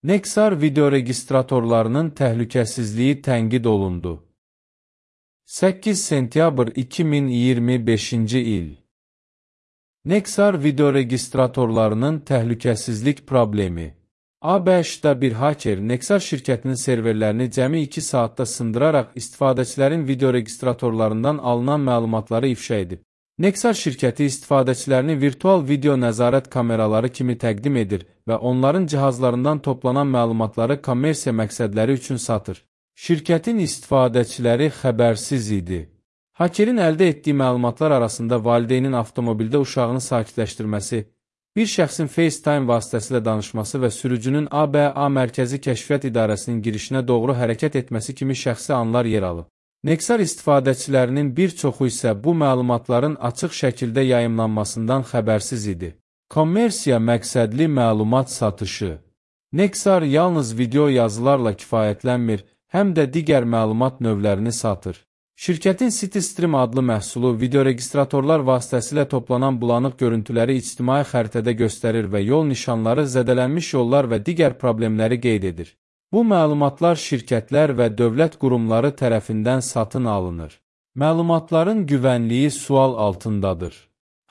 Nexar videoregistratorlarının təhlükəsizliyi tənqid olundu. 8 sentyabr 2025-ci il. Nexar videoregistratorlarının təhlükəsizlik problemi. ABŞ-da bir haker Nexar şirkətinin serverlərini cəmi 2 saatda sındıraraq istifadəçilərin videoregistratorlarından alınan məlumatları ifşa edib. Nexar şirkəti istifadəçilərini virtual video nəzarət kameraları kimi təqdim edir və onların cihazlarından toplanan məlumatları kommersiya məqsədləri üçün satır. Şirkətin istifadəçiləri xəbərsiz idi. Hakerin əldə etdiyi məlumatlar arasında valideynin avtomobildə uşağını sakitləşdirməsi, bir şəxsin FaceTime vasitəsilə danışması və sürücünün ABA Mərkəzi Kəşfiyyat İdarəsinin girişinə doğru hərəkət etməsi kimi şəxsi anlar yer alıb. Nexar istifadəçilərinin bir çoxu isə bu məlumatların açıq şəkildə yayımlanmasından xəbərsiz idi. Kommersiya məqsədli məlumat satışı. Nexar yalnız video yazılarla kifayətlənmir, həm də digər məlumat növlərini satır. Şirkətin CityStream adlı məhsulu videoregistratorlar vasitəsilə toplanan bulanıq görüntüləri ictimai xəritədə göstərir və yol nişanları, zədələnmiş yollar və digər problemləri qeyd edir. Bu məlumatlar şirkətlər və dövlət qurumları tərəfindən satın alınır. Məlumatların güvənliyi sual altındadır.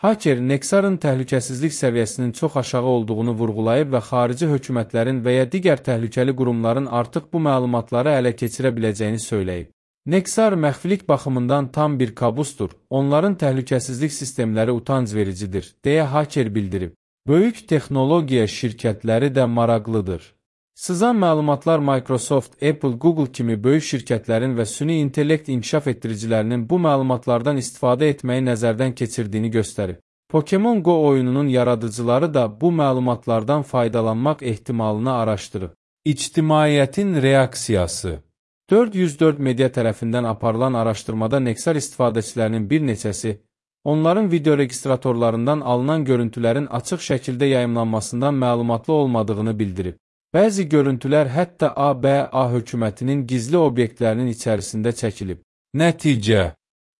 Haker Nexarın təhlükəsizlik səviyyəsinin çox aşağı olduğunu vurğulayıb və xarici hökumətlərin və ya digər təhlükəli qurumların artıq bu məlumatları ələ keçirə biləcəyini söyləyib. Nexar məxfilik baxımından tam bir kabusdur, onların təhlükəsizlik sistemləri utanc vericidir, deyə haker bildirib. Böyük texnologiya şirkətləri də maraqlıdır. Sızan məlumatlar Microsoft, Apple, Google kimi böyük şirkətlərin və süni intellekt inkişaf etdiricilərinin bu məlumatlardan istifadə etməyi nəzərdən keçirdiyini göstərir. Pokemon Go oyununun yaradıcıları da bu məlumatlardan faydalanmaq ehtimalını araşdırıb. İctimaiyyətin reaksiyası. 404 media tərəfindən aparılan araşdırmada Nexar istifadəçilərinin bir neçəsi, onların videoregistratorlarından alınan görüntülərin açıq şəkildə yayımlanmasından məlumatlı olmadığını bildirib. Bəzi görüntülər hətta ABA hökumətinin gizli obyektlərinin içərisində çəkilib. Nəticə.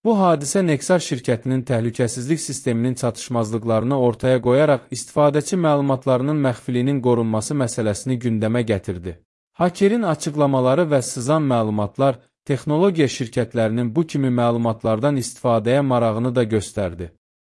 Bu hadisə Nexar şirkətinin təhlükəsizlik sisteminin çatışmazlıqlarını ortaya qoyaraq istifadəçi məlumatlarının məxfiliyinin qorunması məsələsini gündəmə gətirdi. Hakerin açıqlamaları və sızan məlumatlar texnologiya şirkətlərinin bu kimi məlumatlardan istifadəyə marağını da göstərdi.